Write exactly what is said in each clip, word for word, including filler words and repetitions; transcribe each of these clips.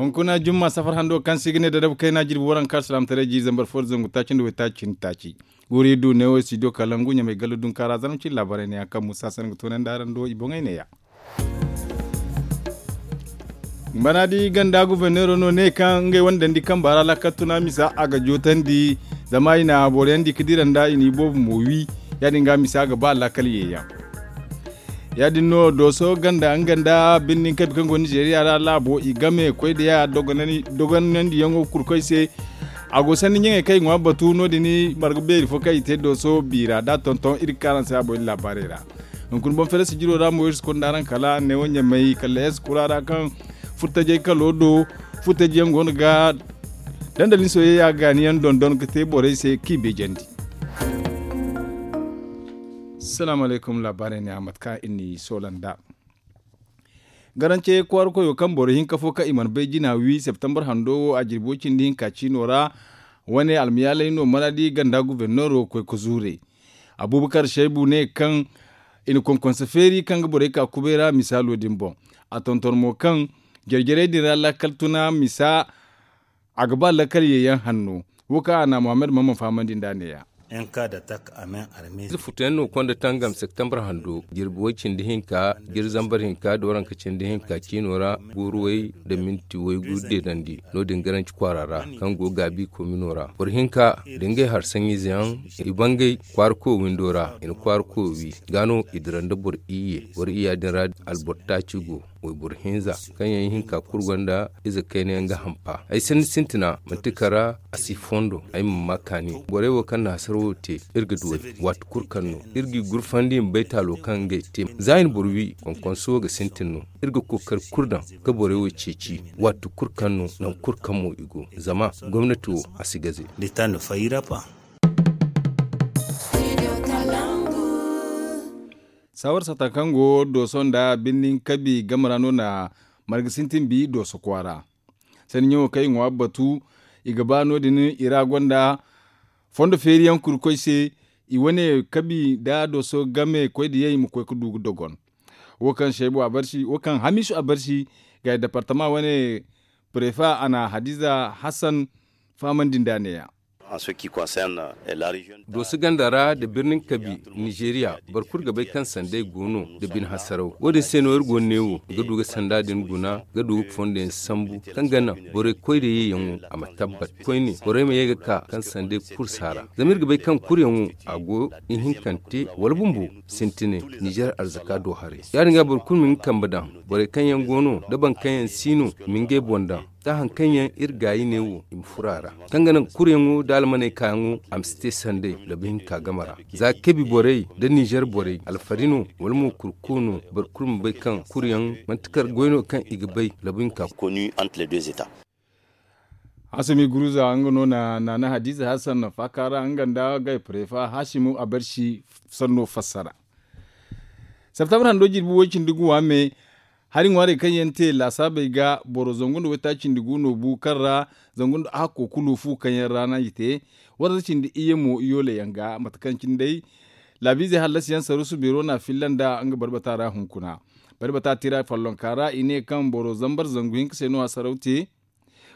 Hunkuna jumma safar hando kaŋ se i ga ne dadabu kayna jirbi waranka alsilaamataray jiiri zambar fo da zangu taaci nda waytaaci cindi taaci. Guuri du neewo studio kalangu ɲamay gallo dunkaara zarma cine laabaarey ne yaŋ kaŋ musa sanda ga toonandi araŋ do i boŋey neeya. Bana di ganda guberneero no ne kaŋ ngey wane dandi kamba ra laakal tuna misa a ga jootandi. Zama i na boro yaŋ di ga dira nda i n'i boobo mo wi. Ya- din ga misa ga ba laakal ye yaŋ. Ya- din no dooso ganda nga nda birnin kabi kaŋ go nizeeriya ra laabo i game koy da ya dogonandi yaŋo kurkoy se. A go sanni ɲaŋey kaŋ i ŋwa batu no- din marga beeri fo kaŋ i te dooso biira da tonton iri ga kaanu araŋ se a boy laabaarey ra. Hunkuna boŋ fere sijiro ra mo iri si konda araŋ kala neewo ɲamay kala eskura ra kaŋ furtajey kalo do. Furtajey yaŋ go no ga dandalin soyayya gaani yaŋ dondon ga te borey se k'i beejandi. Salaamu alaykum laabaarey ne a mate kaŋ iri n'i soola nd'a. Garance kwaara koyo kaŋ boro hinka fo kaŋ i mana bay jina wi septembar hando wo a jirbi way cindi hinka ciino ra. Wane almayaaley no maraadi ganda guberneero koy ga zuure. Abubakar shaybu ne kaŋ i na konkonse feeri kaŋ ga borey ka kubay ra misaalo din boŋ. A tonton mo kaŋ jare jarey din ra laakal tuna misa a ga ba lakkal ye yaŋ hanno. Wo kaŋ a na muhammad mamman fahamandi nd'a neeya. Ize futuyaŋ no konda tangam septembar hando jirbi way cindi hinka jiri zambar hinka da waranka cindi hinka ciino ra guuruway da minti waygu deedandi no- din garanci kwaara ra kaŋ go gaabi komino ra boro hinka da ngey hari saŋiize yaŋ i bangay kwaara koyo windo ra i na kwaara koyo wi ga no i dira nda boro iyye boro iyya din ra alboro taaci go wayboro hinza kaŋ yaŋ ihinka kulu gonda ize kayna yaŋ ga hampa ay sanni sintina manti kara a si fondo ay ma ma kaani borey wo kaŋ na hasara wo te iri ga duw'ey waati kulu kaŋ no iri g'i gurfandi i ma bay taalo kaŋ ngey te za i na boro wi konkonso ga sintin no iri ga kookari kulu daŋ ga borey wo ceeci waati kulu kaŋ no nangu kulu kaŋ mo i go zama gomnati wo a si gaze. Saawar sata kaŋ go dooso nda birnin kabi game ra no na marga sintin bi dooso kwaara. Sanni ɲaŋo kaŋ i ŋwa batu i ga ba no- din i ra gonda fondo feeri yaŋ kuri koy se. I wane kabi nda dooso game koy da yay ma koy ga du ga dogon. Wo kaŋ shaybu a barsi wo kaŋ hamisu a barsi ga departama wane prefa a na hadiza hassan fahamandi nd'a neeya. Dooso ganda ra nda birnin kabi nizeeriya boro kulu ga bay kaŋ sanday go no nda bine hasaraw wo- din se no iri go no ne wo ga du ga sanda din guna ga du ga fondo yaŋ sambu kaŋ ga naŋ borey koy da ye yaŋo a ma tabbat koyne borey ma ye ga ka kaŋ sanday kulu si a ra zama iri ga bay kaŋ kulu yaŋo a go ihinkante wala bumbo sintine nizer arzaka do haray ya- din ga boro kulu ma hin kambe daŋ borey kaŋ yaŋ go no nda boro kaŋ yaŋ si no ma ngey boŋ daŋ da hari kaŋ yaŋ iri gaayi ne wo i ma furo a ra kaŋ ga naŋ kuryaŋo nda almaney kaayaŋo a ma si te sanday labu hinka game ra za kabi borey nda nizer borey alfari no wala mo kurko no boro kulu ma bay kaŋ kuryaŋ manti kar goy no kaŋ i ga bay labu hinka. Hasumi guruza nga no na naana hadiza hassan faaka ra nga nda gay prefa hasimu a barsi sanno fassara. Septembre hando jirbi way cindi ga waame hari ŋwaarey kaŋ yaŋ te laasaabey ga boro zangu nda waytaaci cindi gu no bu kaŋ ra zangu nda hakko kulu fu kaŋ yaŋ ra no i te. Waranza cindi iyye mo yoole yaŋ ga mate kaŋ cine day laabiizey hallasi yaŋ saruusu beero no a filla nda nga barbata ra hunkuna. Barbata tira follonka ra i ne kaŋ boro zambar zangu hinka se no hasaraw te.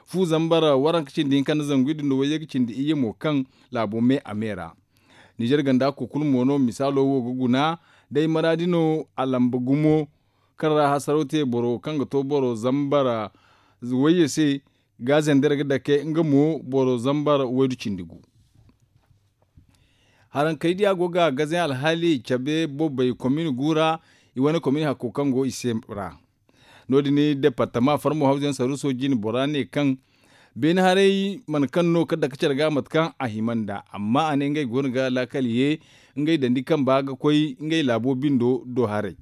Fu zambar waranka cindi hinka nda zangu iddu nda wayye ga cindi iyye mo kaŋ laabo me a me ra. Nizer ganda kukul mo no misaalo wo ga guna day maraadi no a lamba gumo kaŋ ra hasaraw te boro kaŋ ga to boro zambar wayye se ga zender ga dake nga mo boro zambar waydu cindi gu. Harankey diya go ga gazayaŋ alhaali cabe bobey komin gu ra. I wane komin hakko kaŋ go i se ra no- din departama farmo hawzayaŋ saruuso jine bora ne kaŋ beene haray mana kaŋ no ka dake care ga mate kaŋ a hima nd'a amma a ne ngey go no ga laakal ye ngey dandi kamba ga koy ngey laabo bindo do haray.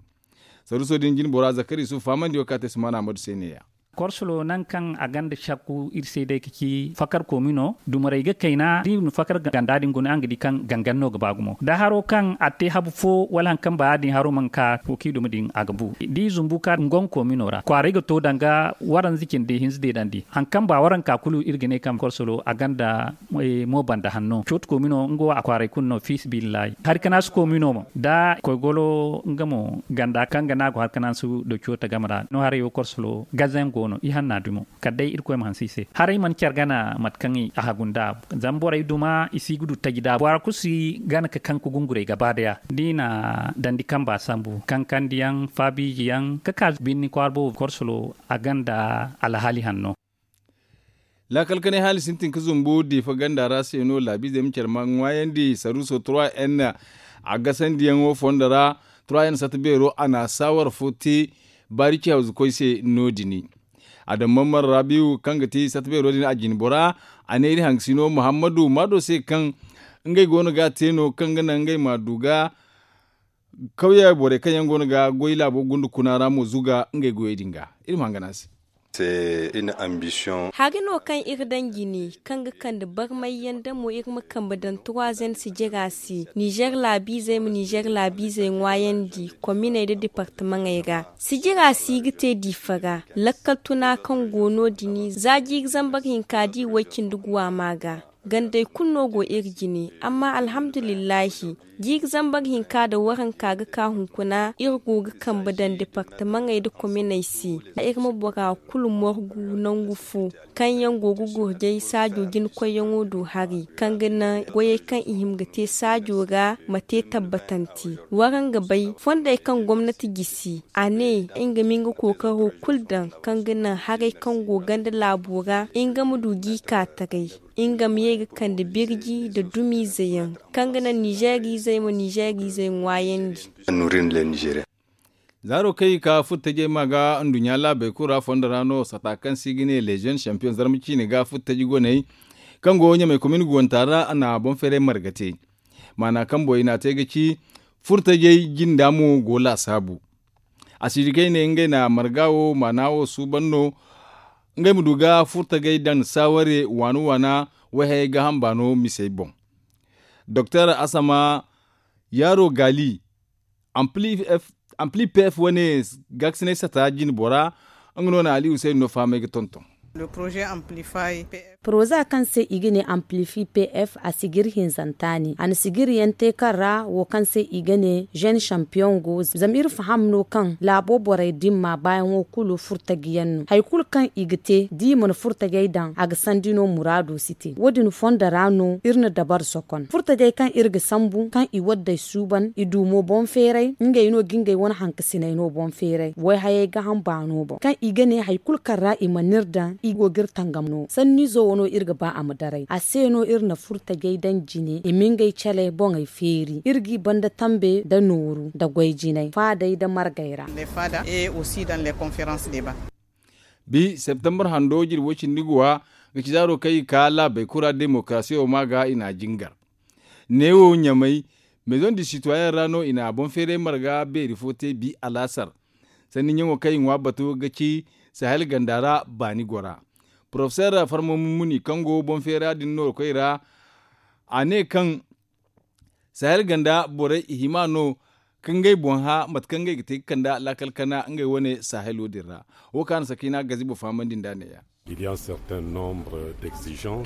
Saruuso din jine bora zakari yusuf fahamandi wo kaŋ a te sumaana ahmadu se neeya. Korsolo nangu kaŋ a gonda sakku iri se day ka ci fakar komino dumarey ga kayna da i na fakar ganda din guna araŋ ga di kaŋ gangan no ga ba gumo da haro kaŋ a te habu fo wala hari kaŋ ba ya- din haro mana ka to kaŋ i duma din a ga bu da i zumbu ka nga komino ra kwaaray ga to danga waranza cindi hinza deedandi hari kaŋ ba waranka kulu iri ga ne kaŋ korsolo a gonda mo banda hanno cooto komino nga wo a kwaaray kulu no fiisabilillahi hari kanaasi komino mo da koygolo nga mo ganda kaŋ ga no a go hari kanaasi da cooto game ra no haray wo korsolo gazengo. I hanna dumi kala day irkoy ma hanse i se haray mana care gana mate kaŋ a hagu nd'a. Zama borey duma i si ga du taji da bora kulu si gana ga kaŋ ga gungurey gaba daya da i na dandi kamba sambu kankandi yaŋ faabiiji yaŋ ga ka birni kwaara boobo korsolo a ganda alhaali hanno. Laakal kanay haali sintin ga zumbu diifa ganda ra se no laabiizey ma care ma ŋwaayandi saruuso trois n a gasandiyaŋo fondo ra. Trois n sata beero a na saawar fo te baari ci hawzu koy se no- din. Adamman marrabiw kaŋ ga ti sata beero din a jine bora a ne iri hangasino muhammadu maado se kaŋ ngey go no ga a te no kaŋ ga naŋ ngey ma du ga kawye borey kaŋ yaŋ go no ga goy laabo gunda kuna ra mo zuga ngey goyey din ga. Iri ma hangan a se. Hari no kaŋ iri daŋ jine kaŋ ga kande barmay yaŋ da mo iri ma kambe daŋ turwazen sijira se nizer laabiizey ma nizer laabiizey ŋwaayandi kominey nda departamaŋey ra. Sijira si ga te diifa ra lakkal tuna kaŋ go no- din za jiiri zambar hinka da i way cindi guwa ma ga. Gandey kulu no go iri jine amma alhamdulillahi jiiri zambar hinka nda waranka ga ka hunkuna iri go ga kambe daŋ departamaŋey nda kominey se iri ma bora kulu morgu nangu fo kaŋ yaŋ go ga gurjay saajo jinakoyyaŋo do hari kaŋ ga naŋ goyey kaŋ i hima ga te saajo ra ma te tabbatante. Waraŋ ga bay fondey kaŋ gomnati gisi a ne nga ma nga kookaro kulu daŋ kaŋ ga naŋ haray kaŋ go ganda laabo ra nga ma du ga i ka taray. Nga ma ye ga kande birji nda dumiize yaŋ kaŋ ga naŋ nizeeriizey ma nizeeriizey ŋwaayandi. Zaaro kaŋ i ka furtajey ma ga nduɲɲa laabey kulu ra fondo ra no sata kaŋ se i ga ne leziyoŋ sampiyoŋ zarma ciine ga furtaji goney kaŋ go ɲamey komin guwanta ra a na boŋ feeray marga te. Maana kaŋ boŋ i n'a te ga ci furtajey jinda mo go laasaabu. A si di kaŋ i ne ngey na marga wo maana wo suuban no ngey ma du ga furtagey daŋ saaware waana waana wayhayey gaaham baano misey boŋ. Doktor asama yaaro gaali ampli pf wane gaakasinay sata jine bora nga no na ali husayni no fahamay ga tonton. Poroza kaŋ se i ga ne amplifi pf a sijir hinzanta ne a na sijir yaŋ te kaŋ ra wo kaŋ se i ga ne zen sampiyoŋ go zama iri faham no kaŋ laabo borey dimma baayaŋo kulu furtaji yaŋ no hari kulu kaŋ i ga te da i mana furtajey daŋ a ga sandi no muraado si te wo- din fondo ra no iri na dabar sokon furtajey kaŋ iri ga sambu kaŋ i waddey suuban i du mo boŋ feeray ngey no ga ngey wane hankasiney no boŋ feeray wayhayey gaaham baano boŋ kaŋ i ga ne hari kulu kaŋ ra i mana iri daŋ i go ga iri tangam no sanniizo wo no iri ga ba a ma daray a se no iri na furtajey daŋ jine i ma ngey caley boŋey feeri iri g'i banda tambe nda nooru nda goy jinay faadey nda margey ra. Bi septembar hando jirbo cindi guwa ga ci zaaro kaŋ i ka laabey kulu ra demokarasiyo ma ga i n'a jingar neewo ɲamay mezoŋ di sitwayaŋ ra no i na boŋ feeray marga beeri fo te bi alaasar. Sanni ɲaŋo kaŋ i ŋwa batu ga ci sahel ganda ra baani gora porofeser farma mummuni kaŋ go boŋ feera din noorikoy ra a ne kaŋ sahel ganda borey i hima no ka ngey boŋ hã mate kaŋ ngey ga te ga kand'a laakal kana ngey wane sahelo din ra. Wo kaŋ a na sakina gazibo fahamandi nd'a neeya.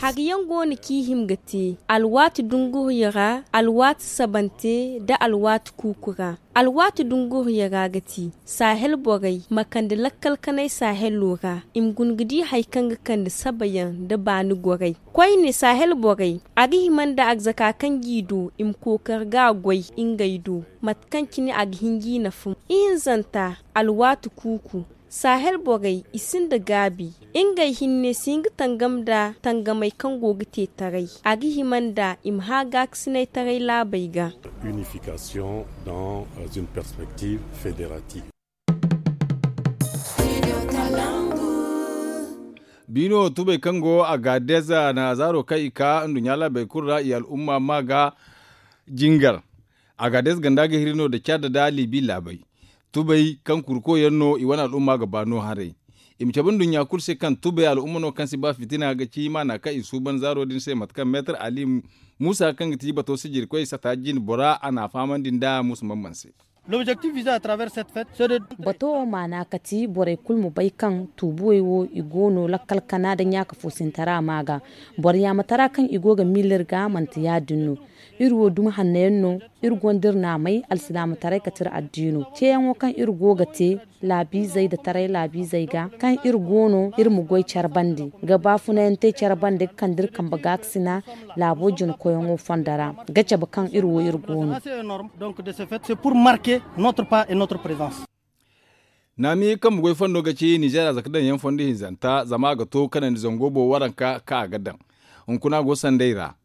Hari yaŋ go no kaŋ i hima ga te alwaati dunguriyo ra alwaati sabante nda alwaati kuuku ra. Alwaati dunguriyo ra ga ti sahel borey ma kande lakkal kanay sahelo ra i ma guna ga di hari kaŋ ga kande sabayaŋ nda baani gorey koyne sahel borey a ga hima nda arzaka kaŋ g'i du i ma kookari ga a goy ngey do mate kaŋ cine a ga hin g'i nafa. Ihinzanta alwaati kuuku sahel borey i sinda gaabi ngey hinne si hin ga tangam nda tangamey kaŋ go ga te taray a ga hima nda i ma hã gaakasinay taray laabey ga. Unification dans une perspective fédérative. Biino tubey kaŋ go agaadez na zaaro kaŋ i ka nduɲɲa laabey kulu ra i al'umma ma ga jingar. Agaadez ganda ga hiri no nda caada nda liibi laabey tubey kaŋ kurko yaŋ no i wane al'umma ga ba no haray. I ma cabe nduɲɲa kulu se kaŋ tubey al'umma no kaŋ si ba fitina ga ci maana kaŋ i suuban zaaro din se mate kaŋ meetar ali muusa kaŋ ga ti bato sijirkoy sata jine bora a n'a fahamandi nda muusa mamman se. Bato wo maana kati borey kulu ma bay kaŋ tuubuwey wo i go no lakkal kana nda ɲaaka foosintara ma ga. Boro yaamatara kaŋ i go ga miila iri ga manti ya-din no. Iri wo dumi hanno yaŋ no. Iri gonda iri naamay alsilaamataray kati iri addiino ceeyaŋo kaŋ iri go ga te laabiizey nda taray laabiizey ga kaŋ iri go no iri ma goy care bande ga baafunayaŋ te care bande ga kande iri kambe gaakasina laabo jina koyyaŋo fondo ra ga cabe kaŋ iri wo iri go no. Naami kaŋ ma goy fondo ga ci ninzeer a zaka daŋ yaŋ fondo hinzanta zama a ga to kanandi zango boŋ waranka kaŋ a ga daŋ hunkuna go sanday ra.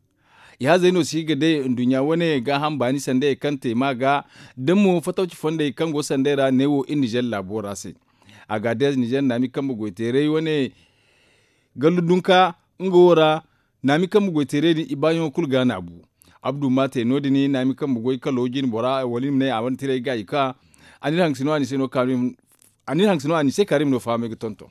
Ihazey no si ga day nduɲɲa wane gaaham baani sanday kaŋ te ma ga da mo fatawci fondey kaŋ go sanday ra neewo iri ninzeer laabo ra se. Agadeez ninzeer naami kaŋ ma goy teeray wane gallu dunka nga wo ra. Naami kaŋ ma goy teeray din i baayaŋo kulu ga naabu. Abdu ma te no- din naami kaŋ ma goy kalo jine bora wala i ma ne a wane tiray ga i ka. A n'iri hangasino a ni se no kaanu a n'iri hangasino a ni se kaanu i ma no fahamay ga tonton.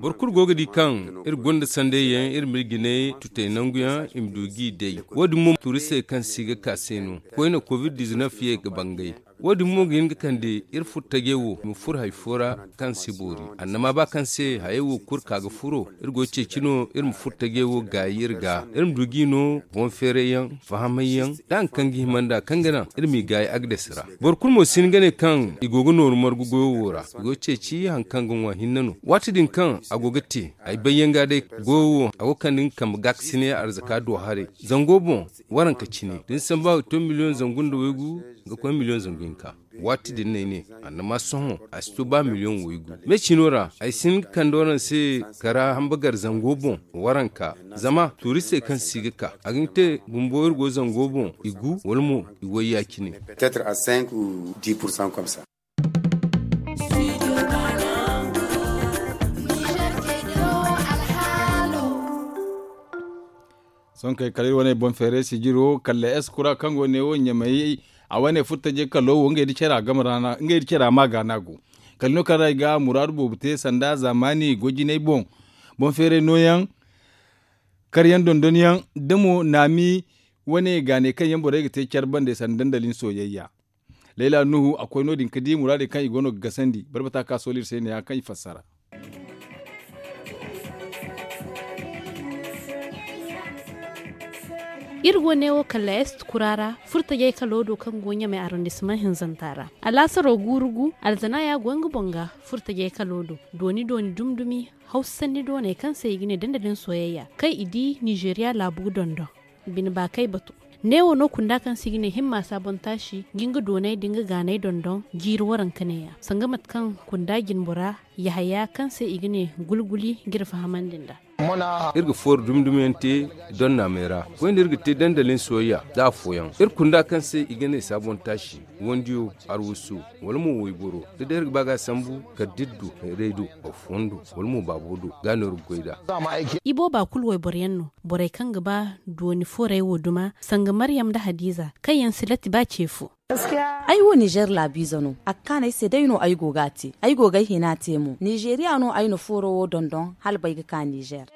Boro kulu go ga di kaŋ iri gonda sanday yaŋ iri ma iri jinay tutay nangu yaŋ i ma du g'i day. Wo- din mo tuuristey kaŋ si ga ka se no koyne covid dizinef ye ga bangay. Wo- din mo ga hin ga kande iri furo tajey wo i ma furo hari fo ra kaŋ si boori annama ba kaŋ se hayey wo kulu ka ga furo iri go ga ceeci no iri ma furo tajey wo gaayi iri ga iri ma du g'i no boŋ feeray yaŋ fahamay yaŋ da hari kaŋ ga hima nd'a kaŋ ga naŋ iri m'i gaayi agdes ra. Boro kulu mo si hin ga ne kaŋ i go ga nooru margu goyo wo ra i go ga ceeci hari kaŋ ga ŋwa hinne no waati din kaŋ a go ga te ay bayyaŋ ga day goyo wo a go ga kande nga kambe gaakasinay arzaka do haray zango boŋ. Waranka cine da ni samba to miliyoŋ zangu nda waygu ga koy miliyoŋ zangu hinka. Waati din no ay ne annama sohõ a si to ba miliyoŋ waygu. Me cino ra ay si hin ga kande waraŋ se kara hambagar zango boŋ waranka zama tuuristey kaŋ si ga ka a ga hin ga te bumbo iri go zango boŋ i gu wala mo i wayya cine. Sohõ kay kala iri wane boŋ feeray sijiro kala eskura kaŋ go ne wo ɲamay a wane furo tajey kalo wo ngey nda cara ma ga no a go. Kala no kaŋ ra i ga muraadu boobo te sanda zaamaani goy jinay boŋ boŋ feeray nooyaŋ karyaŋ dondonyaŋ da mo naami wane gaanay kaŋ yaŋ borey ga te care bande sanda dandalin soyayya. Layla nuhu a koy no- din ga di muraadey kaŋ i go no ga gasandi barbata ka sooli iri se ne- ya kaŋ i fassara. Iri go neewo kala est kura ra furtajey kalo do kaŋ go ɲamay arrondissement hinzanta ra. Alaasaro guuru gu alzana ya go nga boŋ ga furtajey kalo do dooni dooni dumi dumi hawsa sanni dooney kaŋ se i ga ne dandalin soyayya kaŋ i di nizeeriya laabu ga dondon. Bine baakay batu neewo no kunda kaŋ se i ga ne himma saabontaasi ga nga doonay da nga gaanay dondon jiiri waranka neeya sanga mate kaŋ kunda jinbora yahaya kaŋ se i ga ne gulguli ga iri fahamandi nd'a. Iri ga fooro dumi dumi yaŋ te donnaamey ra koyne iri ga te dandalin soyayya da afooyaŋ iri kunda kaŋ se i ga ne saabontaasi wandiyo arwasu wala mo wayboro da day iri ga ba ga a sambu kala da iri du raydo afondo wala mo baabo do ga no iri ga goy nd'a. I booba kulu wayboro yaŋ no borey kaŋ ga ba dooni fooray wo duma sanga maryam nda hadiza kaŋ yaŋ si latti ba ce fo. Ay wo nizer laabiize no a ga kaan ay se day no ay go ga a te ay go ga ay hina te mo nizeeriya no ay na fooro wo dondon hala bay ga ka nizer.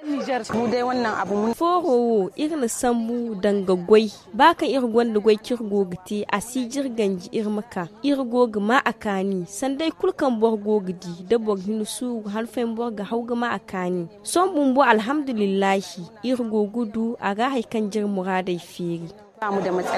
Fooro wo iri na sambu danga goy ba kaŋ iri gonda goy kaŋ iri go ga te a si jire ganji iri ma ka iri go ga ma a kaani sanday kulu kaŋ boro go ga di da boro hin suuru han fooyaŋ boro ga haw ga ma a kaani. Sohõ bumbo alhamdulillahi iri go ga du a ga hari kaŋ jire muraadey feeri.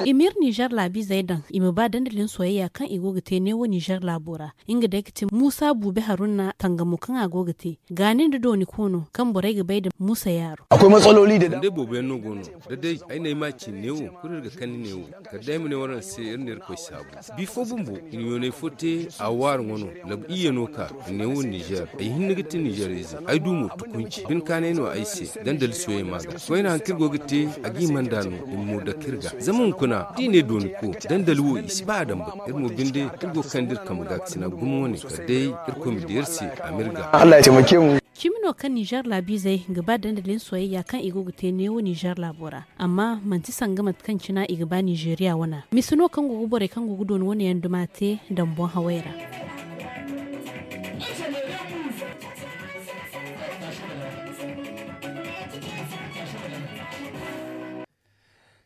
I ma iri nizer laabiizey daŋ i ma ba dandalin soyayya kaŋ i go ga te neewo nizer laabo ra. Nga day ga ti muusa buubi haruna tangamo kaŋ a go ga te gaani nda dooni koono kaŋ borey ga bay nda muusa yaaro. Akwai matsaloli da dama. Boobo yaŋ no go no da day ay na ay ma ci neewo kulu iri ga kande neewo kala day ay ma ne waraŋ se iri na irkoy saabu. Bifo bumbo i na yoonay fo te a waari ŋwa no labu iyye no ka i ne wo nizer ay hinne ga ti nizer ize ay du mo tukunci binkaanay no ay se. Dandali soyey ma ga koyne haŋ kaŋ iri go ga te a ga i manda no i ma mo dake iri ga zama hunkuna da i ne dooni ko dandali wo i si ba a damba iri mo binde iri go ga kande iri kambe ga ga sina gumo wane kala day irkoy ma di iri se a ma iri ga. Cimi no kaŋ nizer laabiizey ga ba dandalin soyayya kaŋ i go ga te neewo nizer laabo ra amma manti sanga mate kaŋ cina i ga ba nizeeriya wana mise no kaŋ go ga borey kaŋ go ga dooni wane yaŋ duma te daŋ boŋ hawey ra.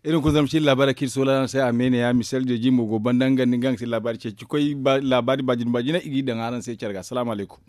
Iri na kulu zama ci laabaari kaŋ iri soola araŋ se a me ne ya misel jeeji mo go banda nga nda nga ga ti laabaari ceeci koy. Laabaari baajina baajina i g'i daŋ araŋ se care ga salaamu alaykum.